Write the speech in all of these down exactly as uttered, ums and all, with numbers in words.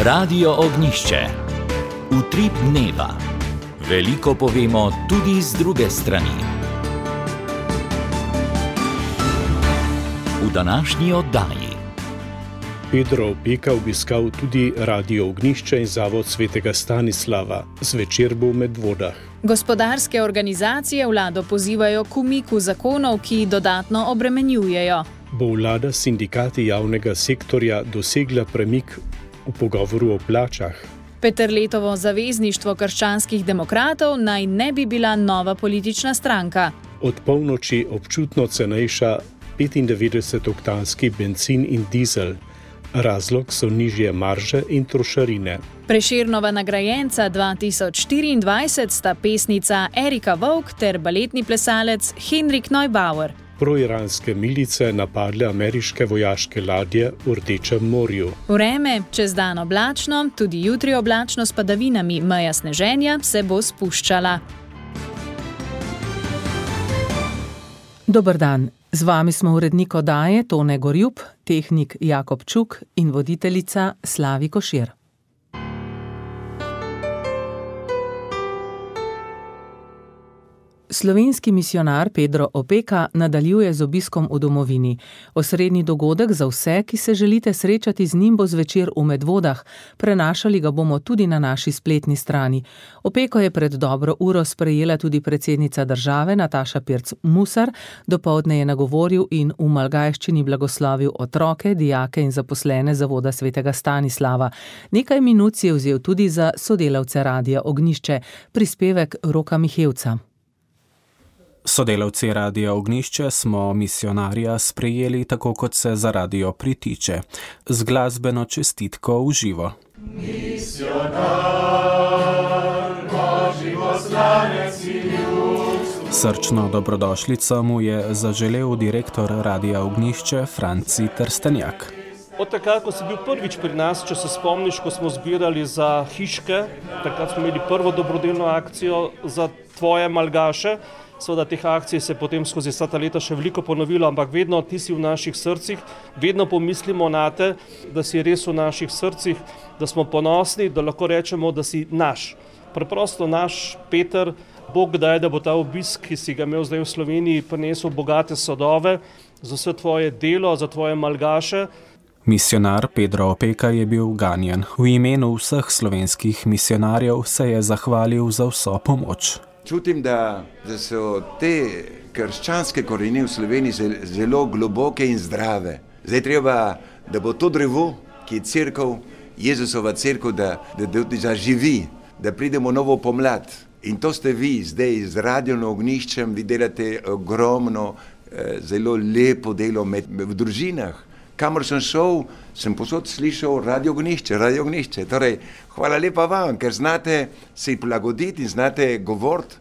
Radio Ognišče. Utrip dneva. Veliko povemo tudi z druge strani. V današnji oddaji Pedro Opeka obiskal tudi Radio Ognjišče in Zavod svetega Stanislava. Zvečer bo v Medvodah. Gospodarske organizacije vlado pozivajo k umiku zakonov, ki dodatno obremenjujejo. Bo vlada s sindikati javnega sektorja dosegla premik v pogovoru o plačah? Peterletovo zavezništvo krščanskih demokratov naj ne bi bila nova politična stranka. Od polnoči občutno cenejša petindevetdesetoktanski bencin in dizel. Razlog so nižje marže in trošarine. Prešernova nagrajenca dva tisoč štiriindvajset sta pesnica Erika Vovk ter baletni plesalec Henrik Neubauer. Proiranske milice napadle ameriške vojaške ladje v Rdečem morju. Vreme, čez dan oblačno, tudi jutri oblačno s padavinami, meja sneženja se bo spuščala. Dober dan. Z vami smo urednik oddaje Tone Gorjup, tehnik Jakob Čuk in voditeljica Slavi Košir. Slovenski misijonar Pedro Opeka nadaljuje z obiskom v domovini. Osrednji dogodek za vse, ki se želite srečati z njim, bo zvečer v Medvodah. Prenašali ga bomo tudi na naši spletni strani. Opeko je pred dobro uro sprejela tudi predsednica države Nataša Pirc Musar. Dopoldne je nagovoril in v malgajščini blagoslovil otroke, dijake in zaposlene Zavoda svetega Stanislava. Nekaj minut si je vzel tudi za sodelavce Radia Ognjišče. Prispevek Roka Mihevca. Sodelavci Radia Ognjišče smo misijonarja sprejeli tako, kot se za radio pritiče, z glasbeno čestitko v živo. Misionar, Božji poslanec in ljudstvo. Srčno dobrodošlico mu je zaželel direktor Radia Ognjišče Franci Trstenjak. Od takrat, ko si bil prvič pri nas, če se spomniš, ko smo zbirali za hiške, takrat smo imeli prvo dobrodelno akcijo za tvoje malgaše. Seveda teh akcij se potem skozi vsa ta leta še veliko ponovilo, ampak vedno ti si v naših srcih, vedno pomislimo na te, da si res v naših srcih, da smo ponosni, da lahko rečemo, da si naš. Preprosto naš Peter, Bog daj, da bo ta obisk, ki si ga imel zdaj v Sloveniji, prinesel bogate sadove za vse tvoje delo, za tvoje malgaše. Misijonar Pedro Opeka je bil ganjen. V imenu vseh slovenskih misijonarjev se je zahvalil za vso pomoč. Čutim, da, da so te krščanske korenine v Sloveniji zelo globoke in zdrave. Zdaj treba, da bo to drevo, ki je cerkev, Jezusova cerkev, da, da, da zaživi, da pridemo novo pomlad. In to ste vi zdaj z Radio Ognjiščem, vi delate ogromno, zelo lepo delo med, v družinah. Kamor sem šel, sem posod slišal Radio Ognjišče, Radio Ognjišče. Torej, hvala lepa vam, ker znate se prilagoditi in znate govoriti.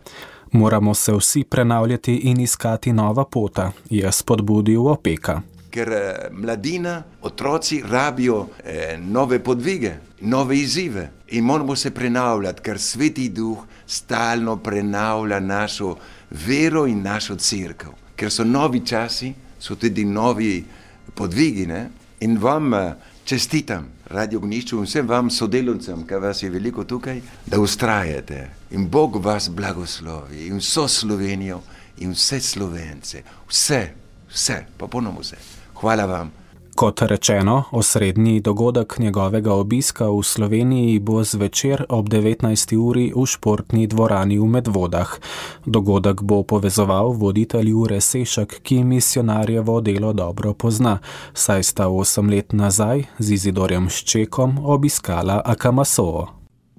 Moramo se vsi prenavljati in iskati nova pota, je spodbudil Opeka. Ker mladina, otroci rabijo eh, nove podvige, nove izzive in moramo se prenavljati, ker Sveti Duh stalno prenavlja našo vero in našo cerkev. Ker so novi časi, so tudi novi podvigi, ne? In vam čestitam, Radio Ognjišče, in vsem vam sodelavcem, ker vas je veliko tukaj, da ustrajate. In Bog vas blagoslovi, in vso Slovenijo, in vse Slovence, vse, vse, popolnoma vse. Hvala vam. Kot rečeno, osrednji dogodek njegovega obiska v Sloveniji bo zvečer ob devetnajsti uri v športni dvorani v Medvodah. Dogodek bo povezoval voditelj Jure Sešak, ki misijonarjevo delo dobro pozna, saj sta osem let nazaj z Izidorjem Ščekom obiskala Akamasovo.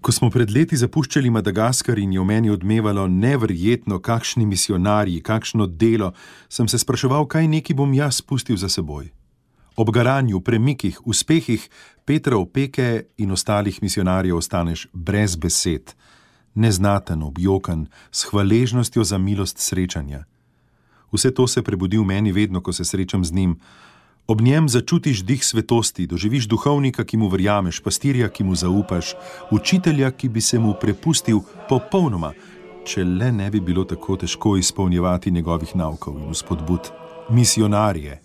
Ko smo pred leti zapuščali Madagaskar in je v meni odmevalo neverjetno, kakšni misijonarji, kakšno delo, sem se spraševal, kaj neki bom jaz pustil za seboj. Ob garanju, premikih, uspehih Petra Opeke in ostalih misijonarjev ostaneš brez besed, neznaten, objokan, s hvaležnostjo za milost srečanja. Vse to se prebudi v meni vedno, ko se srečam z njim. Ob njem začutiš dih svetosti, doživiš duhovnika, ki mu verjameš, pastirja, ki mu zaupaš, učitelja, ki bi se mu prepustil popolnoma, če le ne bi bilo tako težko izpolnjevati njegovih naukov in vzpodbud. Misijonarje,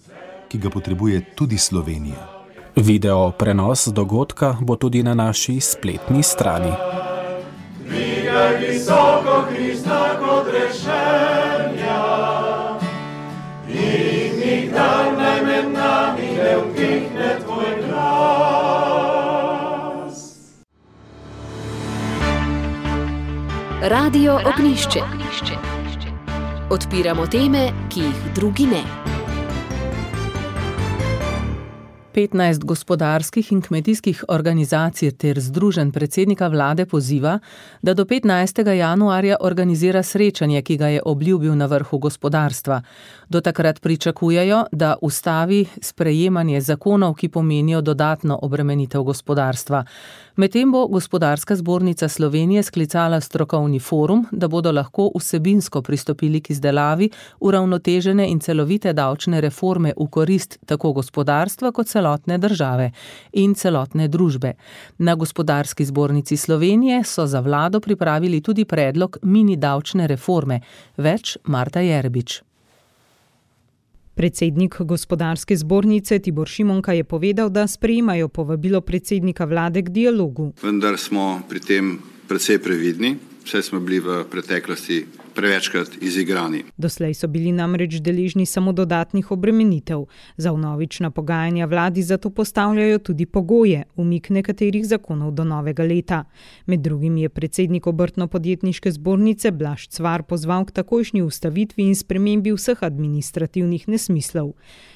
ki ga potrebuje tudi Slovenija. Video prenos dogodka bo tudi na naši spletni strani. Dvigaj visoko Krista kot rešenja in nikdar naj med nami ne utihne tvoj glas. Radio Ognjišče. Odpiramo teme, ki jih drugi ne. petnajst gospodarskih in kmetijskih organizacij ter združenj predsednika vlade poziva, da do petnajstega januarja organizira srečanje, ki ga je obljubil na vrhu gospodarstva. Do takrat pričakujejo, da ustavi sprejemanje zakonov, ki pomenijo dodatno obremenitev gospodarstva. Medtem bo Gospodarska zbornica Slovenije sklicala strokovni forum, da bodo lahko vsebinsko pristopili k izdelavi uravnotežene in celovite davčne reforme v korist tako gospodarstva kot celotne države in celotne družbe. Na Gospodarski zbornici Slovenije so za vlado pripravili tudi predlog mini davčne reforme. Več Marta Jerbič. Predsednik Gospodarske zbornice Tibor Šimonka je povedal, da sprejemajo povabilo predsednika vlade k dialogu. Vendar smo pri tem precej previdni, saj smo bili v preteklosti prevečkrat izigrani. Doslej so bili namreč deležni samo dodatnih obremenitev. Za vnovična pogajanja vladi zato postavljajo tudi pogoje, umik nekaterih zakonov do novega leta. Med drugim je predsednik Obrtno-podjetniške zbornice Blaž Cvar pozval k takojšnji ustavitvi in spremembi vseh administrativnih nesmislov.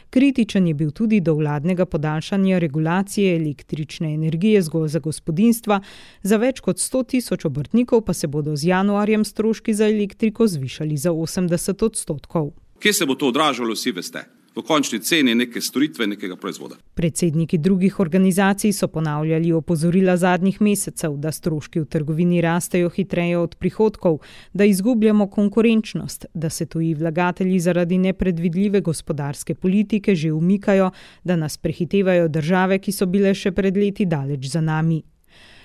Kritičen je bil tudi do vladnega podaljšanja regulacije električne energije zgolj za gospodinjstva, za več kot sto tisoč obrtnikov pa se bodo z januarjem stroški za elektriko zvišali za osemdeset odstotkov. Kje se bo to odražalo, vsi veste? V končni ceni neke storitve, nekega proizvoda. Predsedniki drugih organizacij so ponavljali opozorila zadnjih mesecev, da stroški v trgovini rastejo hitreje od prihodkov, da izgubljamo konkurenčnost, da se tuji vlagatelji zaradi nepredvidljive gospodarske politike že umikajo, da nas prehitevajo države, ki so bile še pred leti daleč za nami.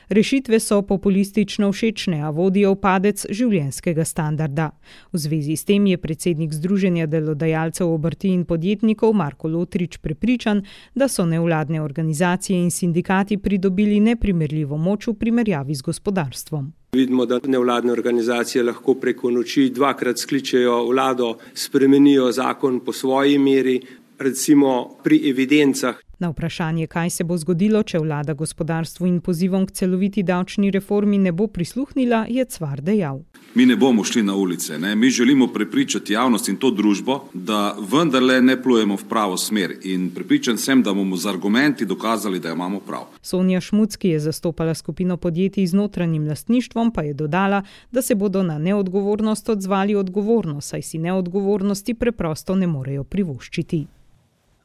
Rešitve so populistično všečne, a vodijo v padec življenjskega standarda. V zvezi s tem je predsednik Združenja delodajalcev obrti in podjetnikov Marko Lotrič prepričan, da so nevladne organizacije in sindikati pridobili neprimerljivo moč v primerjavi z gospodarstvom. Vidimo, da nevladne organizacije lahko preko noči dvakrat skličejo vlado, spremenijo zakon po svoji meri, recimo pri evidencah. Na vprašanje, kaj se bo zgodilo, če vlada gospodarstvu in pozivom k celoviti davčni reformi ne bo prisluhnila, je Cvar dejal. Mi ne bomo šli na ulice, ne? Mi želimo prepričati javnost in to družbo, da vendarle ne plujemo v pravo smer in prepričan sem, da bomo z argumenti dokazali, da imamo prav. Sonja Šmuc, ki je zastopala skupino podjetij z notranjim lastništvom, pa je dodala, da se bodo na neodgovornost odzvali odgovorno, saj si neodgovornosti preprosto ne morejo privoščiti.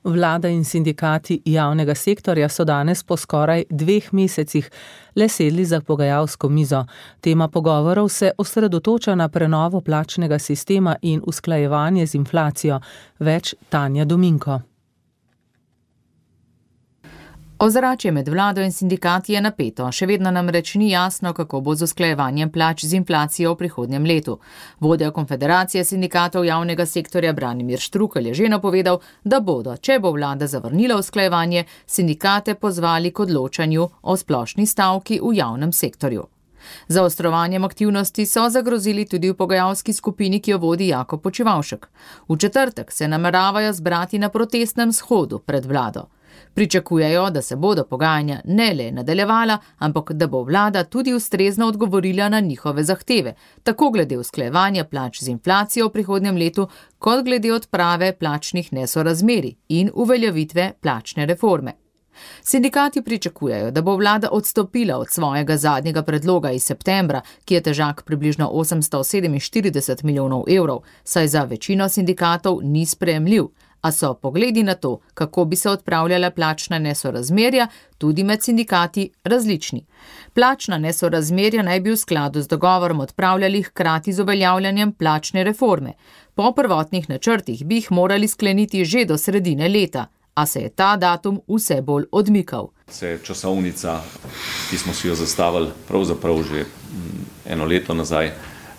Vlada in sindikati javnega sektorja so danes po skoraj dveh mesecih le sedli za pogajalsko mizo. Tema pogovorov se osredotoča na prenovo plačnega sistema in usklajevanje z inflacijo. Več Tanja Dominko. Ozračje med vlado in sindikati je napeto, še vedno namreč ni jasno, kako bo z usklajevanjem plač z inflacijo v prihodnjem letu. Vodja Konfederacije sindikatov javnega sektorja Branimir Štrukelj je že napovedal, da bodo, če bo vlada zavrnila usklajevanje, sindikate pozvali k odločanju o splošni stavki v javnem sektorju. Za ostrovanjem aktivnosti so zagrozili tudi v pogajalski skupini, ki jo vodi Jakob Počivavšek. V četrtek se nameravajo zbrati na protestnem shodu pred vlado. Pričakujejo, da se bodo pogajanja ne le nadaljevala, ampak da bo vlada tudi ustrezno odgovorila na njihove zahteve, tako glede usklajevanja plač z inflacijo v prihodnjem letu, kot glede odprave plačnih nesorazmerij in uveljavitve plačne reforme. Sindikati pričakujejo, da bo vlada odstopila od svojega zadnjega predloga iz septembra, ki je težak približno osemsto sedeminštirideset milijonov evrov, saj za večino sindikatov ni sprejemljiv, a so pogledi na to, kako bi se odpravljala plačna nesorazmerja, tudi med sindikati različni. Plačna nesorazmerja naj bi v skladu z dogovorom odpravljali hkrati z uveljavljanjem plačne reforme. Po prvotnih načrtih bi jih morali skleniti že do sredine leta, a se je ta datum vse bolj odmikal. Se je časovnica, ki smo si jo zastavili pravzaprav že eno leto nazaj,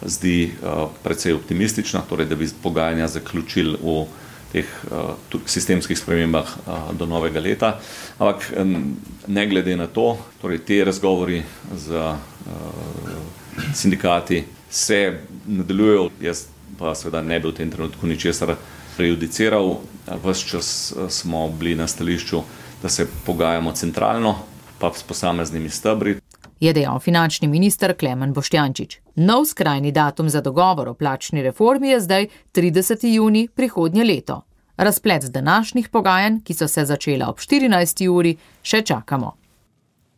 zdi uh, precej optimistična, torej da bi pogajanja zaključili v teh sistemskih spremembah do novega leta. Ampak ne glede na to, torej te razgovori z sindikati se nadaljujejo, jaz pa seveda ne bi v tem trenutku ničesar prejudiciral. Ves čas smo bili na stališču, da se pogajamo centralno, pa s posameznimi stebri. Je dejal finančni minister Klemen Boštjančič. Nov skrajni datum za dogovor o plačni reformi je zdaj trideseti junij prihodnje leto. Razplet današnjih pogajanj, ki so se začela ob štirinajsti uri, še čakamo.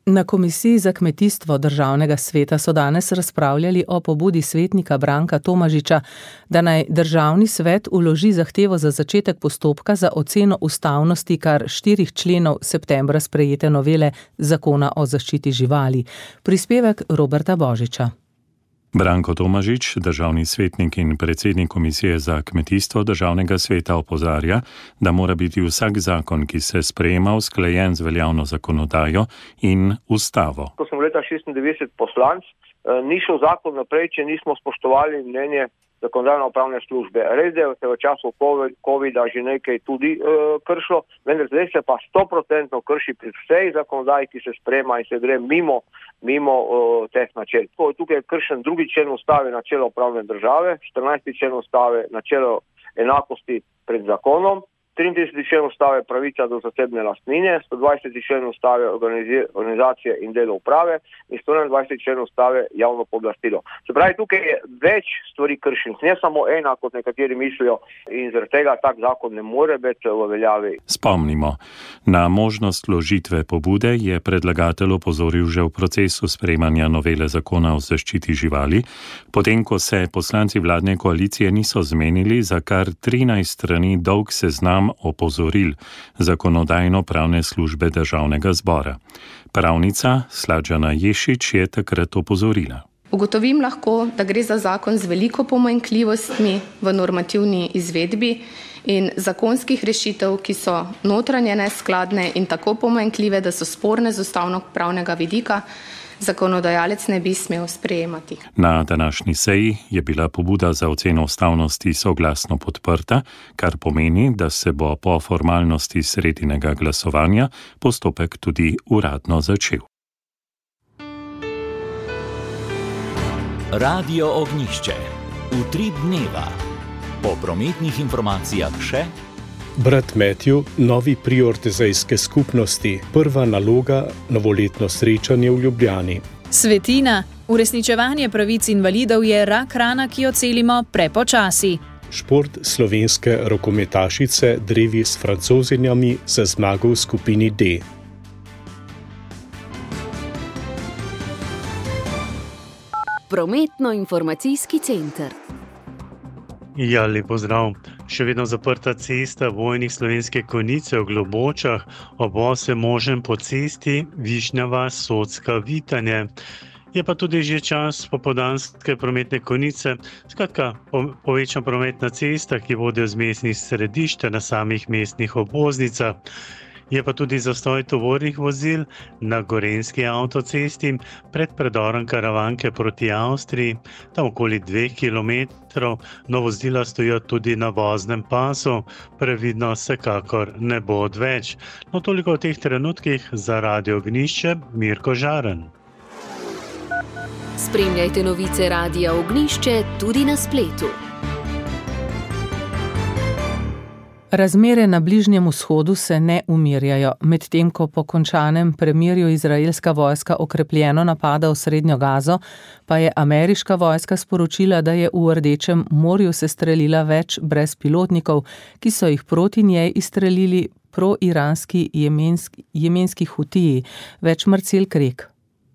Na Komisiji za kmetijstvo Državnega sveta so danes razpravljali o pobudi svetnika Branka Tomažiča, da naj Državni svet vloži zahtevo za začetek postopka za oceno ustavnosti kar štirih členov septembra sprejete novele Zakona o zaščiti živali. Prispevek Roberta Božiča. Branko Tomažič, državni svetnik in predsednik Komisije za kmetijstvo Državnega sveta, opozarja, da mora biti vsak zakon, ki se sprejema, usklajen z veljavno zakonodajo in ustavo. Ko sem leta šestindevetdeset poslanc, ni šel zakon naprej, če nismo spoštovali mnenje zakonodajno-pravne službe. Res je, da se v času covida že nekaj tudi uh, kršilo, vendar zdaj se pa sto procentno krši pri vsej zakonodaji, ki se sprema in se gre mimo, mimo uh, teh načel. Tukaj je kršen drugi člen ustave, načelo pravne države, štirinajsti člen ustave, načelo enakosti pred zakonom, triintrideseti člen ustave, pravica do zasebne lastnine, sto dvajseti člen ustave, organizacije in delo uprave in sto enaindvajseti člen ustave, javno pooblastilo. Se pravi, tukaj je več stvari kršen, ne samo ena, kot nekateri mislijo, in zaradi tega tak zakon ne more biti v veljavi. Spomnimo, na možnost vložitve pobude je predlagatelj opozoril že v procesu sprejemanja novele Zakona o zaščiti živali, potem ko se poslanci vladne koalicije niso zmenili za kar trinajst strani dolg seznam opozoril zakonodajno-pravne službe Državnega zbora. Pravnica Slađana Ješič je takrat opozorila. Ugotovim lahko, da gre za zakon z veliko pomanjkljivostmi v normativni izvedbi in zakonskih rešitev, ki so notranje neskladne in tako pomanjkljive, da so sporne z ustavno-pravnega vidika, zakonodajalec ne bi smel sprejemati. Na današnji seji je bila pobuda za oceno ustavnosti soglasno podprta, kar pomeni, da se bo po formalnosti sredinega glasovanja postopek tudi uradno začel. Radio Ognjišče. Utrip dneva. Po prometnih informacijah še Brat Matthew, novi prior tezejske skupnosti, prva naloga, novoletno srečanje v Ljubljani. Svetina, uresničevanje pravic invalidov je rak rana, ki jo celimo prepočasi. Šport slovenske rokometašice drevi s Francozinjami za zmago v skupini D. Prometno-informacijski center. Ja, lep pozdrav. Še vedno zaprta cesta Vojnih Slovenske Konjice v Globočah, ob osem možen po cesti Višnja vas Socka Vitanje. Je pa tudi že čas popoldanske prometne konice, skratka povečan promet na cestah, ki vodijo z mestnih središč na samih mestnih obvoznicah. Je pa tudi zastoj tovornih vozil na Gorenjski avtocesti pred predorom Karavanke proti Avstriji, tam okoli dveh kilometrov, no vozila stojijo tudi na voznem pasu, previdno vsekakor ne bo odveč. No toliko v teh trenutkih za Radio Ognjišče, Mirko Žaren. Spremljajte novice Radia Ognjišče tudi na spletu. Razmere na Bližnjem vzhodu se ne umirjajo, medtem ko po končanem premirju izraelska vojska okrepljeno napada v Srednjo Gazo, pa je ameriška vojska sporočila, da je v Rdečem morju sestrelila več brezpilotnikov, ki so jih proti njej izstrelili pro-iranski jemenski, jemenski hutiji, več Marcel Krek.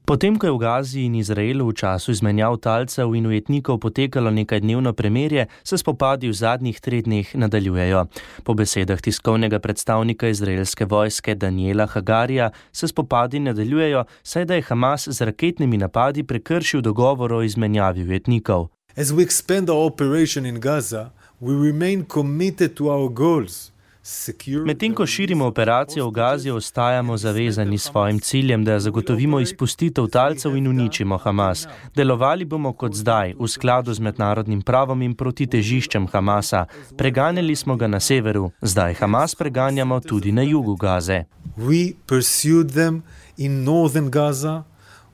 Potem, ko je v Gazi in Izraelu v času izmenjav talcev in ujetnikov potekalo nekajdnevno premirje, se spopadi v zadnjih treh dneh nadaljujejo. Po besedah tiskovnega predstavnika izraelske vojske Daniela Hagarija se spopadi nadaljujejo, saj da je Hamas z raketnimi napadi prekršil dogovor o izmenjavi ujetnikov. As we expand our operation in Gaza, we remain committed to our goals. Medtem ko širimo operacijo v Gazi, ostajamo zavezani svojim ciljem, da zagotovimo izpustitev talcev in uničimo Hamas. Delovali bomo kot zdaj, v skladu z mednarodnim pravom in proti težiščem Hamasa. Preganjali smo ga na severu, zdaj Hamas preganjamo tudi na jugu Gaze. We pursued them in northern Gaza.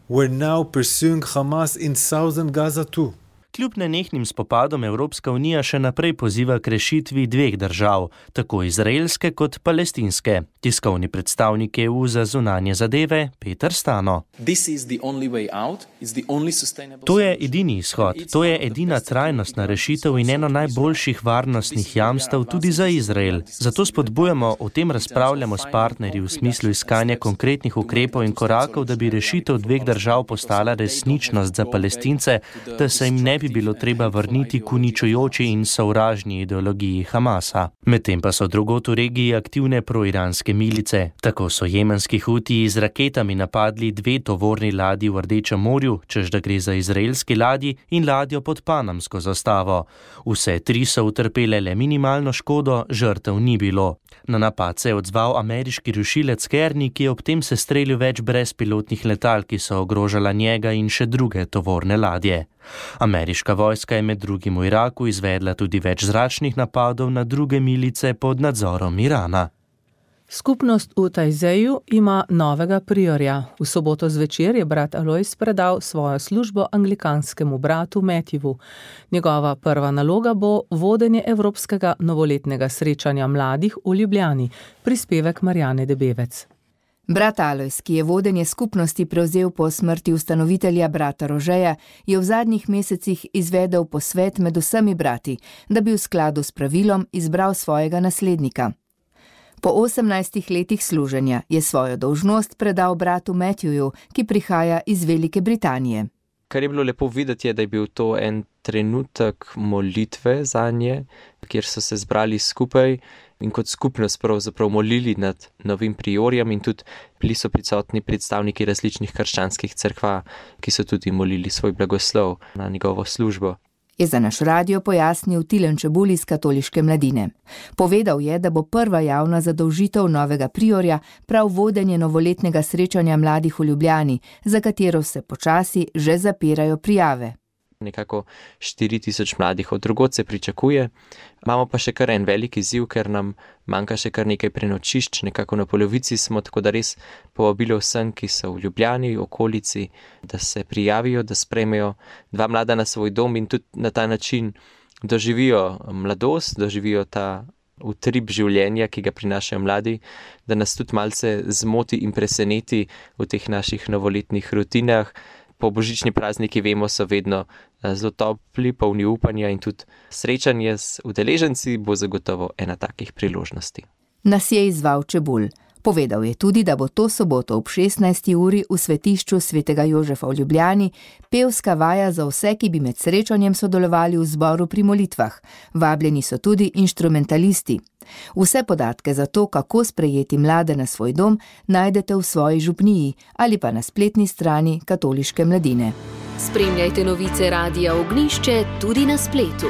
We're now pursuing Hamas in southern Gaza too. Kljub nenehnim spopadom Evropska unija še naprej poziva k rešitvi dveh držav, tako izraelske kot palestinske. Tiskovni predstavnik E U za zunanje zadeve Peter Stano. To je edini izhod, to je edina trajnostna rešitev in eno najboljših varnostnih jamstev tudi za Izrael. Zato spodbujamo, o tem razpravljamo s partnerji v smislu iskanja konkretnih ukrepov in korakov, da bi rešitev dveh držav postala resničnost za Palestince, da se jim ne bi bilo treba vrniti k uničujoči in sovražni ideologiji Hamasa. Medtem pa so drugod v regiji aktivne proiranske milice. Tako so jemenski Hutiji z raketami napadli dve tovorni ladji v Rdečem morju, čež da gre za izraelski ladji in ladjo pod panamsko zastavo. Vse tri so utrpele le minimalno škodo, žrtev ni bilo. Na napad se je odzval ameriški rušilec Kearney, ki je ob tem sestrelil več brezpilotnih letal, ki so ogrožala njega in še druge tovorne ladje. Ameriška vojska je med drugim v Iraku izvedla tudi več zračnih napadov na druge milice pod nadzorom Irana. Skupnost v Tajzeju ima novega priorja. V soboto zvečer je brat Alojz predal svojo službo anglikanskemu bratu Matthewu. Njegova prva naloga bo vodenje evropskega novoletnega srečanja mladih v Ljubljani. Prispevek Marjane Debevec. Brat Alojz, ki je vodenje skupnosti prevzel po smrti ustanovitelja brata Rožeja, je v zadnjih mesecih izvedel posvet med vsemi brati, da bi v skladu s pravilom izbral svojega naslednika. Po osemnajstih letih služenja je svojo dolžnost predal bratu Matthewu, ki prihaja iz Velike Britanije. Kar je bilo lepo videti, je, da je bil to en trenutek molitve zanje, kjer so se zbrali skupaj in kot skupnost pravzaprav molili nad novim priorjem in tudi bili so prisotni predstavniki različnih krščanskih cerkva, ki so tudi molili svoj blagoslov na njegovo službo. Je za naš radio pojasnil Tilen Čebul iz Katoliške mladine. Povedal je, da bo prva javna zadolžitev novega priorja prav vodenje novoletnega srečanja mladih v Ljubljani, za katero se počasi že zapirajo prijave. Nekako štiri tisoč mladih od drugod se pričakuje. Imamo pa še kar en velik izziv, ker nam manjka še kar nekaj prenočišč, nekako na polovici smo, tako da res povabilo vsem, ki so v Ljubljani, v okolici, da se prijavijo, da sprejmejo dva mlada na svoj dom in tudi na ta način doživijo mladost, doživijo ta utrip življenja, ki ga prinašajo mladi, da nas tudi malce zmoti in preseneti v teh naših novoletnih rutinah. Po božični prazniki, vemo, so vedno zelo topli, polni upanja in tudi srečanje z udeleženci bo zagotovo ena takih priložnosti. Nas je izzval Čebul. Povedal je tudi, da bo to soboto ob šestnajsti uri v svetišču svetega Jožefa v Ljubljani pevska vaja za vse, ki bi med srečanjem sodelovali v zboru pri molitvah. Vabljeni so tudi inštrumentalisti. Vse podatke za to, kako sprejeti mlade na svoj dom, najdete v svoji župniji ali pa na spletni strani Katoliške mladine. Spremljajte novice Radia Ognišče tudi na spletu.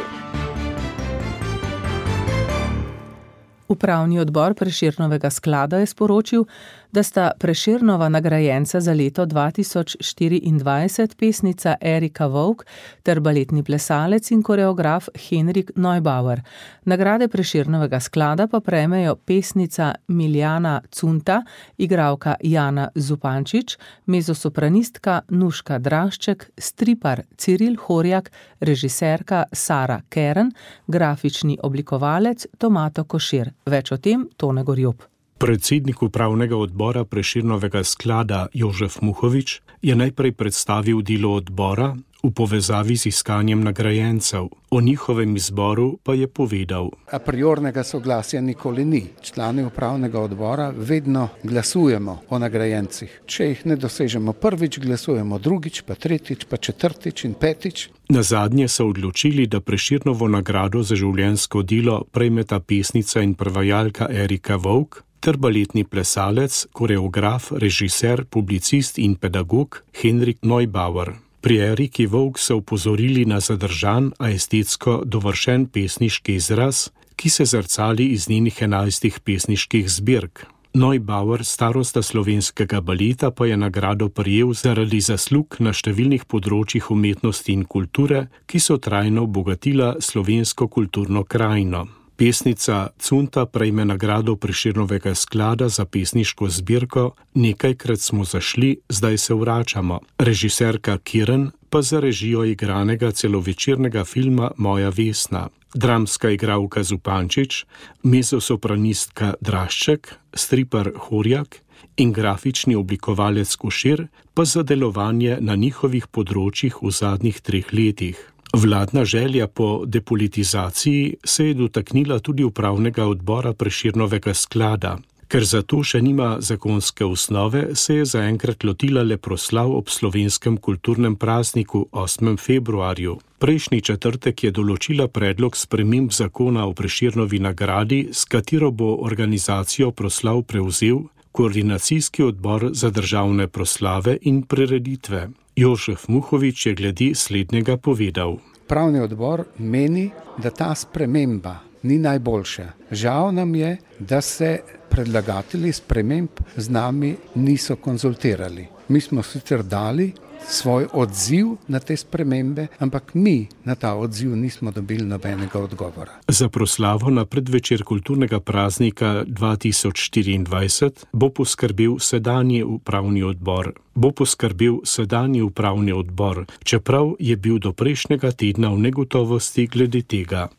Upravni odbor Prešernovega sklada je sporočil, da sta Prešernova nagrajenca za leto dva tisoč štiriindvajset pesnica Erika Vovk ter baletni plesalec in koreograf Henrik Neubauer. Nagrade Prešernovega sklada pa prejmejo pesnica Miljana Cunta, igralka Jana Zupančič, mezosopranistka Nuška Drašček, stripar Ciril Horjak, režiserka Sara Keren, grafični oblikovalec Tomato Košir. Več o tem Tone Gorjob. Predsednik upravnega odbora Prešernovega sklada Jožef Muhovič je najprej predstavil delo odbora v povezavi z iskanjem nagrajencev. O njihovem izboru pa je povedal. A priornega soglasja nikoli ni. Člani upravnega odbora vedno glasujemo o nagrajencih. Če jih ne dosežemo prvič, glasujemo drugič, pa tretjič, pa četrtič in petič. Nazadnje so odločili, da Prešernovo nagrado za življenjsko delo prejmeta pesnica in prevajalka Erika Vovk ter baletni plesalec, koreograf, režiser, publicist in pedagog Henrik Neubauer. Pri Eriki Vovk so upozorili na zadržan, a estetsko dovršen pesniški izraz, ki se zrcali iz njenih enajstih pesniških zbirk. Neubauer, starosta slovenskega baleta, pa je nagrado prejel zaradi zaslug na številnih področjih umetnosti in kulture, ki so trajno obogatila slovensko kulturno krajino. Pesnica Cunta prejme nagrado Prešernovega sklada za pesniško zbirko Nekajkrat smo zašli, zdaj se vračamo. Režiserka Kiran pa za režijo igranega celovečernega filma Moja Vesna. Dramska igralka Zupančič, mezzosopranistka Drašček, striper Horjak in grafični oblikovalec Košir pa za delovanje na njihovih področjih v zadnjih treh letih. Vladna želja po depolitizaciji se je dotaknila tudi upravnega odbora Prešernovega sklada. Ker za to še nima zakonske osnove, se je zaenkrat lotila le proslav ob slovenskem kulturnem prazniku osmem februarju. Prejšnji četrtek je določila predlog sprememb zakona o Prešernovi nagradi, s katero bo organizacijo proslav prevzel Koordinacijski odbor za državne proslave in prireditve. Jožef Muhovič je glede slednjega povedal. Pravni odbor meni, da ta sprememba ni najboljša. Žal nam je, da se predlagatelji sprememb z nami niso konzultirali. Mi smo sicer dali svoj odziv na te spremembe, ampak mi na ta odziv nismo dobili nobenega odgovora. Za proslavo na predvečer kulturnega praznika dva tisoč štiriindvajset bo poskrbel sedanji upravni odbor. Bo poskrbel sedanji upravni odbor, čeprav je bil do prejšnjega tedna v negotovosti glede tega.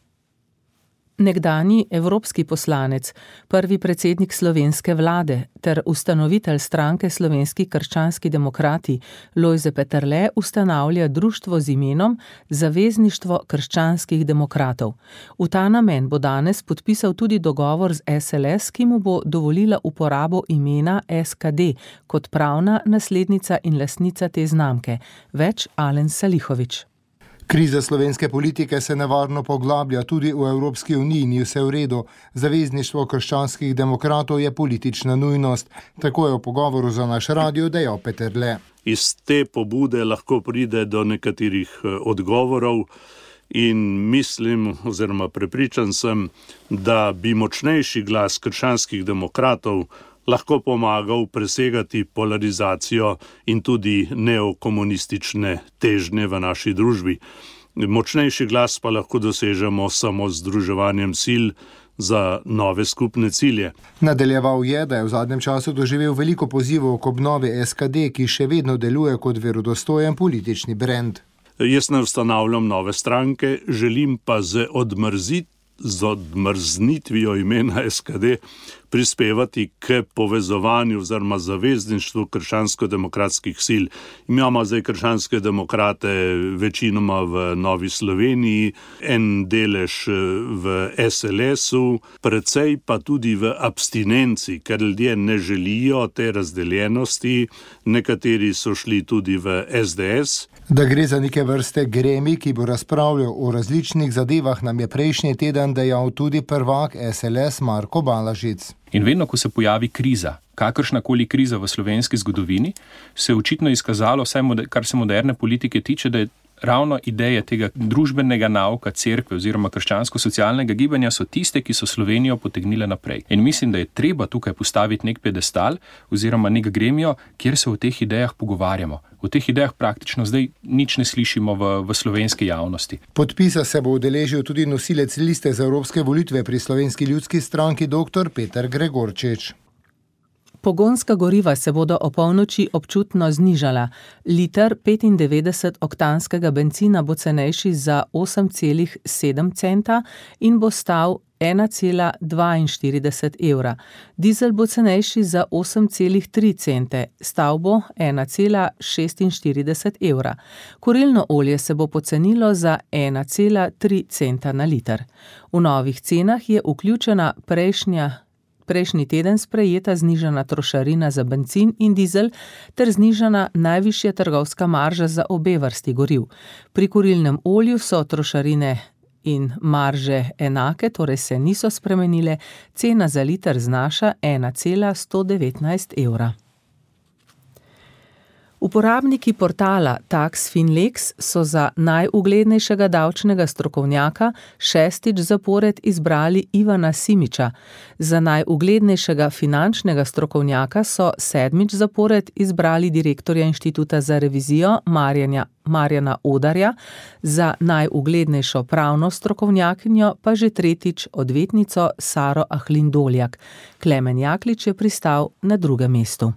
Nekdanji evropski poslanec, prvi predsednik slovenske vlade ter ustanovitelj stranke Slovenski krščanski demokrati Lojze Peterle ustanavlja društvo z imenom Zavezništvo krščanskih demokratov. V ta namen bo danes podpisal tudi dogovor z S L S, ki mu bo dovolila uporabo imena S K D kot pravna naslednica in lastnica te znamke. Več Alen Salihovič. Kriza slovenske politike se nevarno poglablja, tudi v Evropski uniji ni vse v redu. Zavezništvo krščanskih demokratov je politična nujnost. Tako je v pogovoru za naš radio dejal Peterle. Iz te pobude lahko pride do nekaterih odgovorov in mislim oziroma prepričan sem, da bi močnejši glas krščanskih demokratov lahko pomagal presegati polarizacijo in tudi neokomunistične težnje v naši družbi. Močnejši glas pa lahko dosežemo samo z združevanjem sil za nove skupne cilje. Nadaljeval je, da je v zadnjem času doživel veliko pozivov k obnovi S K D, ki še vedno deluje kot verodostojen politični brand. Jaz ne ustanavljam nove stranke, želim pa z odmrzit z odmrznitvijo imena S K D prispevati k povezovanju oziroma zavezništvu krščansko-demokratskih sil. Imamo zdaj krščanske demokrate večinoma v Novi Sloveniji, en delež v S L S-u, precej pa tudi v abstinenci, ker ljudje ne želijo te razdeljenosti, nekateri so šli tudi v S D S. Da gre za neke vrste gremi, ki bo razpravljal o različnih zadevah, nam je prejšnji teden dejal tudi prvak S L S Marko Balažic. In vedno, ko se pojavi kriza, kakršnakoli kriza v slovenski zgodovini, se je očitno izkazalo, vsaj kar se moderne politike tiče, da je ravno ideje tega družbenega nauka cerkve oziroma krščansko-socialnega gibanja so tiste, ki so Slovenijo potegnile naprej. In mislim, da je treba tukaj postaviti nek pedestal oziroma nek gremijo, kjer se o teh idejah pogovarjamo. O teh idejah praktično zdaj nič ne slišimo v, v slovenski javnosti. Podpisa se bo udeležil tudi nosilec liste za evropske volitve pri Slovenski ljudski stranki dr. Peter Gregorčič. Pogonska goriva se bodo o polnoči občutno znižala. Liter petindevetdeset oktanskega bencina bo cenejši za osem celih sedem centa in bo stal ena cela dvainštirideset evra. Dizel bo cenejši za osem celih tri cente, stal bo ena cela šestinštirideset evra. Kurilno olje se bo pocenilo za ena cela tri centa na liter. V novih cenah je vključena prejšnja Prejšnji teden sprejeta znižana trošarina za bencin in dizel ter znižana najvišja trgovska marža za obe vrsti goriv. Pri kurilnem olju so trošarine in marže enake, torej se niso spremenile, cena za liter znaša ena cela sto devetnajst evra. Uporabniki portala TaxFinlex so za najuglednejšega davčnega strokovnjaka šestič zapored izbrali Ivana Simiča. Za najuglednejšega finančnega strokovnjaka so sedmič zapored izbrali direktorja Inštituta za revizijo Marjana, Marjana Odarja, za najuglednejšo pravno strokovnjakinjo pa že tretjič odvetnico Saro Ahlin Doljak. Klemen Jaklič je pristal na drugem mestu.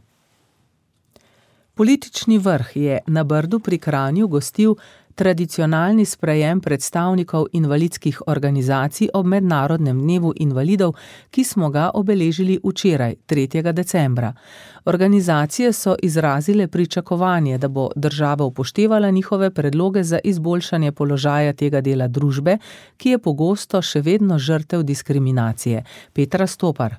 Politični vrh je na Brdu pri Kranju gostil tradicionalni sprejem predstavnikov invalidskih organizacij ob Mednarodnem dnevu invalidov, ki smo ga obeležili včeraj, tretjega decembra. Organizacije so izrazile pričakovanje, da bo država upoštevala njihove predloge za izboljšanje položaja tega dela družbe, ki je pogosto še vedno žrtev diskriminacije. Petra Stopar.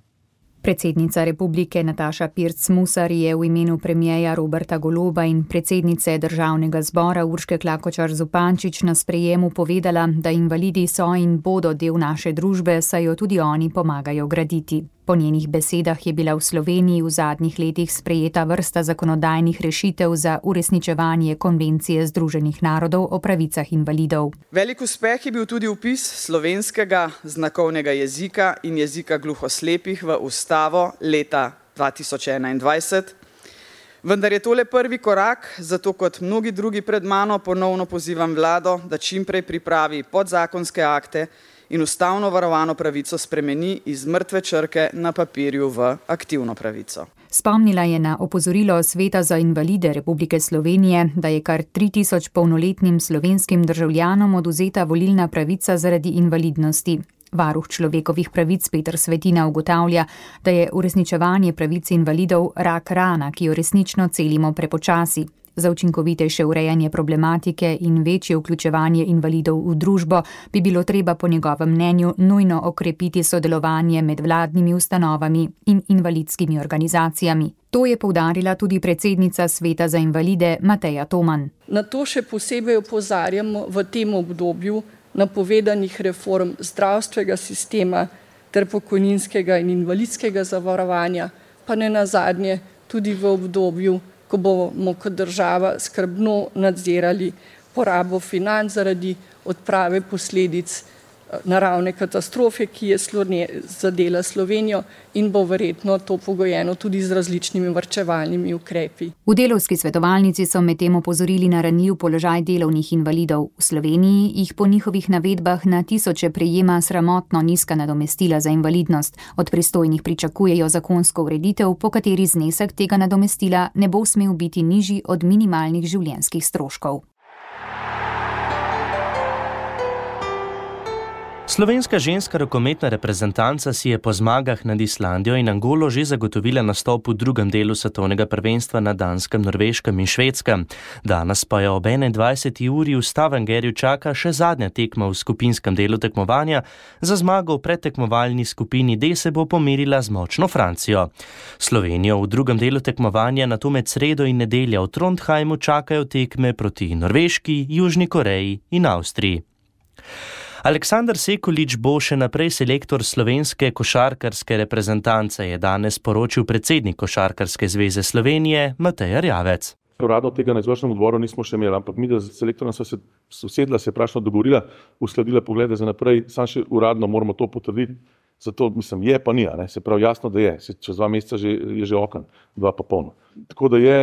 Predsednica republike Nataša Pirc Musar je v imenu premierja Roberta Goloba in predsednice državnega zbora Urške Klakočar Zupančič na sprejemu povedala, da invalidi so in bodo del naše družbe, saj jo tudi oni pomagajo graditi. Po njenih besedah je bila v Sloveniji v zadnjih letih sprejeta vrsta zakonodajnih rešitev za uresničevanje konvencije Združenih narodov o pravicah invalidov. Velik uspeh je bil tudi vpis slovenskega znakovnega jezika in jezika gluhoslepih v ustavo leta dva tisoč enaindvajset. Vendar je tole prvi korak, zato kot mnogi drugi pred mano ponovno pozivam vlado, da čimprej pripravi podzakonske akte in ustavno varovano pravico spremeni iz mrtve črke na papirju v aktivno pravico. Spomnila je na opozorilo Sveta za invalide Republike Slovenije, da je kar tri tisoč polnoletnim slovenskim državljanom odvzeta volilna pravica zaradi invalidnosti. Varuh človekovih pravic Peter Svetina ugotavlja, da je uresničevanje pravic invalidov rak rana, ki jo resnično celimo prepočasi. Za učinkovitejše urejanje problematike in večje vključevanje invalidov v družbo bi bilo treba po njegovem mnenju nujno okrepiti sodelovanje med vladnimi ustanovami in invalidskimi organizacijami. To je poudarila tudi predsednica Sveta za invalide Mateja Toman. Na to še posebej opozarjamo v tem obdobju napovedanih reform zdravstvenega sistema ter pokojninskega in invalidskega zavarovanja, pa ne nazadnje tudi v obdobju, ko bomo kot država skrbno nadzirali porabo financ zaradi odprave posledic naravne katastrofe, ki je zadela Slovenijo in bo verjetno to pogojeno tudi z različnimi varčevalnimi ukrepi. V Delavski svetovalnici so medtem opozorili na ranljiv položaj delovnih invalidov. V Sloveniji jih po njihovih navedbah na tisoče prejema sramotno nizka nadomestila za invalidnost. Od pristojnih pričakujejo zakonsko ureditev, po kateri znesek tega nadomestila ne bo smel biti nižji od minimalnih življenjskih stroškov. Slovenska ženska rokometna reprezentanca si je po zmagah nad Islandijo in Angolo že zagotovila nastop v drugem delu svetovnega prvenstva na Danskem, Norveškem in Švedskem. Danes pa jo ob enaindvajseti uri v Stavangerju čaka še zadnja tekma v skupinskem delu tekmovanja. Za zmago v predtekmovalni skupini D se bo pomerila z močno Francijo. Slovenijo v drugem delu tekmovanja nato med sredo in nedeljo v Trondheimu čakajo tekme proti Norveški, Južni Koreji in Avstriji. Aleksander Sekulič bo še naprej selektor slovenske košarkarske reprezentance, je danes poročil predsednik Košarkarske zveze Slovenije Matej Erjavec. Uradno tega na izvršnem odboru nismo še imeli, ampak mi, da z selektorjem sva se usedla, se prašno dogovorila, uskladila poglede za naprej, sam še uradno moramo to potrditi. Zato, mislim, je pa ni, ne? Se pravi jasno, da je. Se, čez dva meseca že, je že oken, dva pa polno. Tako da je,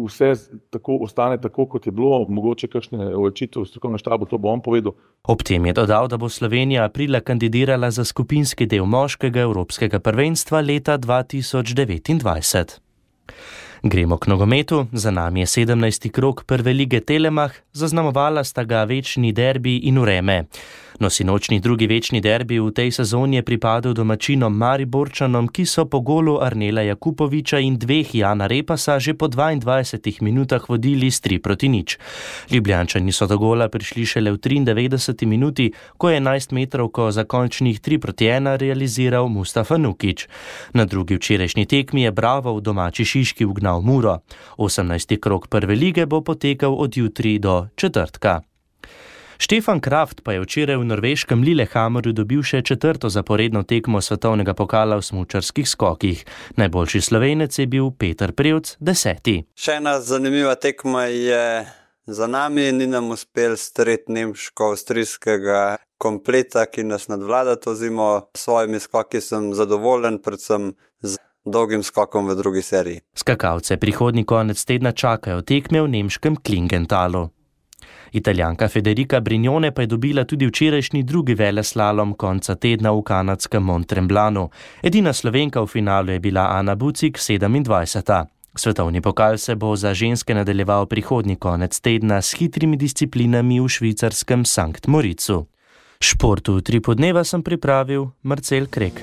vse tako, ostane tako, kot je bilo, mogoče kakšne očitve v strokovnem štabu, to bo on povedal. Ob tem je dodal, da bo Slovenija aprila kandidirala za skupinski del moškega evropskega prvenstva leta dva tisoč devetindvajset. Gremo k nogometu, za nami je sedemnajsti krog prve lige Telemach, zaznamovala sta ga večni derbi in vreme. No, sinočni drugi večni derbi v tej sezoni je pripadel domačinom Mariborčanom, ki so po golu Arnela Jakupoviča in dveh Jana Repasa že po dvaindvajsetih minutah vodili s tri proti nič. Ljubljančani so do gola prišli šele v triindevetdeseti minuti, ko je enajstmetrovko za končnih tri proti ena realiziral Mustafa Nukić. Na drugi včerajšnji tekmi je Bravo v domači Šiški ugnal Muro. osemnajsti krog prve lige bo potekal od jutri do četrtka. Stefan Kraft pa je včeraj v norveškem Lillehammerju dobil še četrto zaporedno tekmo svetovnega pokala v smučarskih skokih. Najboljši Slovenec je bil Peter Prevc, deseti. Še ena zanimiva tekma je za nami, ni nam uspel streti nemško-avstrijskega kompleta, ki nas nadvlada to zimo. S svojimi skoki sem zadovoljen, predvsem z dolgim skokom v drugi seriji. Skakalce prihodnji konec tedna čakajo tekme v nemškem Klingentalu. Italijanka Federica Brignone pa je dobila tudi včerajšnji drugi veleslalom konca tedna v kanadskem Mont-Tremblanu. Edina Slovenka v finalu je bila Ana Bucik, sedemindvajseta. Svetovni pokal se bo za ženske nadaljeval prihodnji konec tedna s hitrimi disciplinami v švicarskem Sankt Moricu. Športu tri podneva sem pripravil Marcel Krek.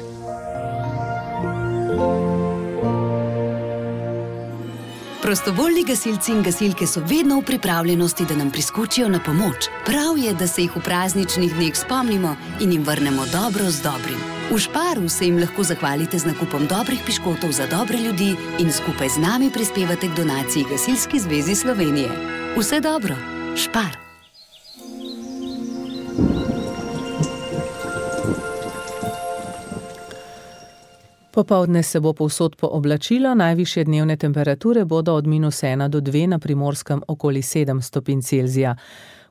Prostovoljni gasilci in gasilke so vedno v pripravljenosti, da nam priskočijo na pomoč. Prav je, da se jih v prazničnih dneh spomnimo in jim vrnemo dobro z dobrim. V Šparu se jim lahko zahvalite z nakupom dobrih piškotov za dobre ljudi in skupaj z nami prispevate k donaciji Gasilski zvezi Slovenije. Vse dobro, Špar! Popoldne se bo povsod pooblačilo, najvišje dnevne temperature bodo od minus ena do dve, na Primorskem okoli sedem stopinj Celzija.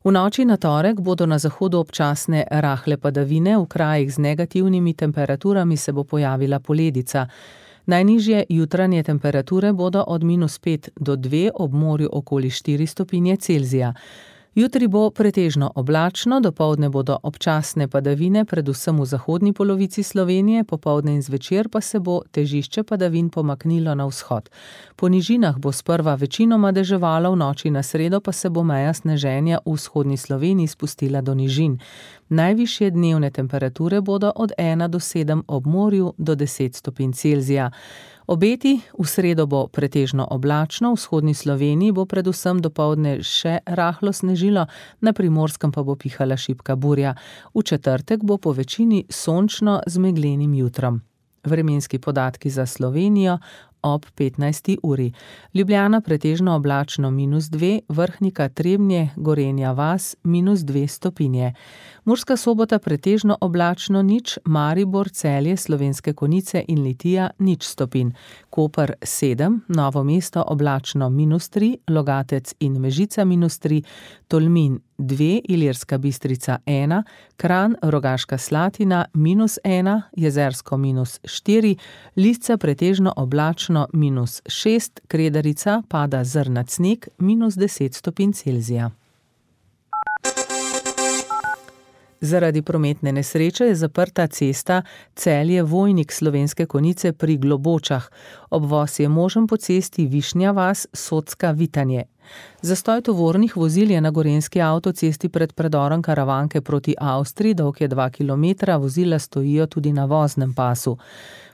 V noči na torek bodo na zahodu občasne rahle padavine, v krajih z negativnimi temperaturami se bo pojavila poledica. Najnižje jutranje temperature bodo od minus pet do dve, ob morju okoli štiri stopinje Celzija. Jutri bo pretežno oblačno, dopoldne bodo občasne padavine, predvsem v zahodni polovici Slovenije, popoldne in zvečer pa se bo težišče padavin pomaknilo na vzhod. Po nižinah bo sprva večinoma deževalo, v noči na sredo pa se bo meja sneženja v vzhodni Sloveniji spustila do nižin. Najvišje dnevne temperature bodo od ena do sedem, ob morju do deset stopinj Celzija. Obeti, v sredo bo pretežno oblačno, v vzhodni Sloveniji bo predvsem dopoldne še rahlo snežilo, na Primorskem pa bo pihala šibka burja. V četrtek bo po večini sončno z meglenim jutrom. Vremenski podatki za Slovenijo ob petnajsti uri. Ljubljana pretežno oblačno minus dve, Vrhnika, Trebnje, Gorenja vas minus dve stopinje. Murska Sobota pretežno oblačno nič, Maribor, Celje, Slovenske Konjice in Litija nič stopinj. Koper sedem, Novo mesto oblačno minus tri, Logatec in Mežica minus tri, Tolmin dve, Ilirska Bistrica ena, Kranj, Rogaška Slatina minus ena, Jezersko minus štiri, Lisca pretežno oblačno minus šest, Kredarica pada zrnat sneg minus deset stopinj Celzija. Zaradi prometne nesreče je zaprta cesta Celje-Vojnik Slovenske Konjice pri Globočah. Obvoz je možen po cesti Višnja vas, Socka, Vitanje. Zastoj tovornih vozil je na gorenjski avtocesti pred predorom Karavanke proti Avstriji, dolg je dva kilometra, vozila stojijo tudi na voznem pasu.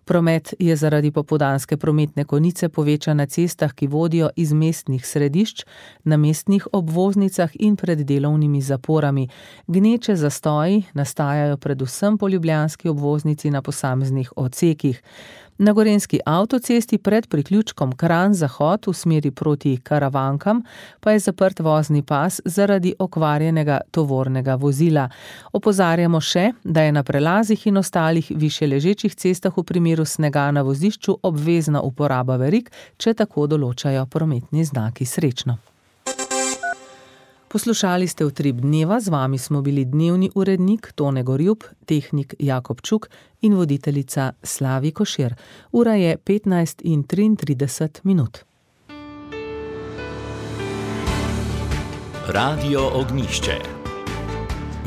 Promet je zaradi popoldanske prometne konice povečan na cestah, ki vodijo iz mestnih središč, na mestnih obvoznicah in pred delovnimi zaporami. Gneče zastoji nastajajo predvsem po ljubljanski obvoznici na posameznih odsekih. Na gorenjski avtocesti pred priključkom Kranj-Zahod v smeri proti Karavankam pa je zaprt vozni pas zaradi okvarjenega tovornega vozila. Opozarjamo še, da je na prelazih in ostalih višje ležečih cestah v primeru snega na vozišču obvezna uporaba verig, če tako določajo prometni znaki. Srečno! Poslušali ste Utrip dneva, z vami smo bili dnevni urednik Tone Gorjup, tehnik Jakob Čuk in voditeljica Slavi Košir. Ura je petnajst in triintrideset minut. Radio Ognjišče.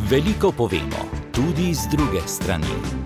Veliko povemo, tudi z druge strani.